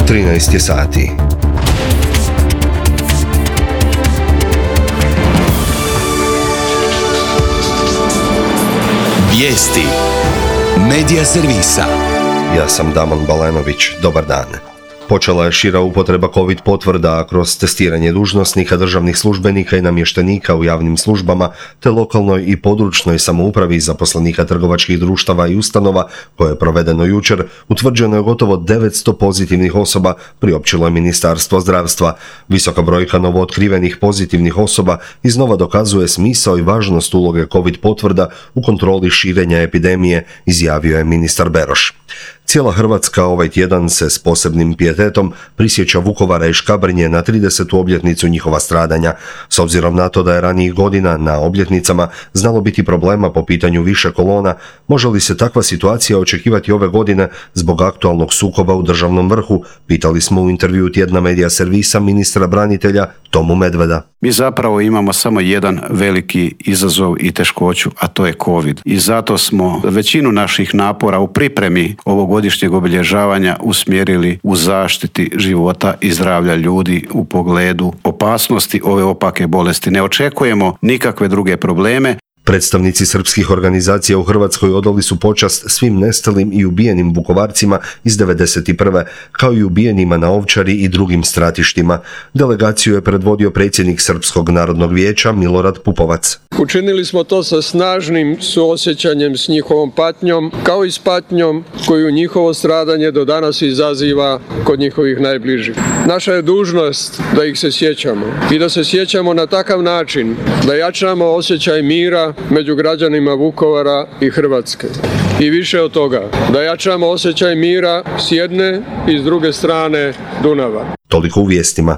13 je sati. Vijesti Medija servisa. Ja sam Damon Balenović, dobar dan. Počela je šira upotreba COVID potvrda kroz testiranje dužnosnika, državnih službenika i namještenika u javnim službama, te lokalnoj i područnoj samoupravi i zaposlenika trgovačkih društava i ustanova, koje je provedeno jučer. Utvrđeno je gotovo 900 pozitivnih osoba, priopćilo je Ministarstvo zdravstva. Visoka brojka novootkrivenih pozitivnih osoba iznova dokazuje smisao i važnost uloge COVID potvrda u kontroli širenja epidemije, izjavio je ministar Beroš. Cijela Hrvatska ovaj tjedan se s posebnim pijetetom prisjeća Vukovara i Škabrnje na 30. obljetnicu njihova stradanja. S obzirom na to da je ranijih godina na obljetnicama znalo biti problema po pitanju više kolona, može li se takva situacija očekivati ove godine zbog aktualnog sukoba u državnom vrhu, pitali smo u intervjuu tjedna Medija servisa ministra branitelja Tomu Medveda. Mi zapravo imamo samo jedan veliki izazov i teškoću, a to je COVID. I zato smo većinu naših napora u pripremi ovogodišnjeg obilježavanja usmjerili u zaštiti života i zdravlja ljudi u pogledu opasnosti ove opake bolesti. Ne očekujemo nikakve druge probleme. Predstavnici srpskih organizacija u Hrvatskoj odali su počast svim nestalim i ubijenim Vukovarcima iz 1991. kao i ubijenima na Ovčari i drugim stratištima. Delegaciju je predvodio predsjednik Srpskog narodnog vijeća Milorad Pupovac. Učinili smo to sa snažnim suosjećanjem s njihovom patnjom, kao i s patnjom koju njihovo stradanje do danas izaziva kod njihovih najbližih. Naša je dužnost da ih se sjećamo i da se sjećamo na takav način da jačamo osjećaj mira među građanima Vukovara i Hrvatske. I više od toga, da jačamo osjećaj mira s jedne i s druge strane Dunava. Toliko u vijestima.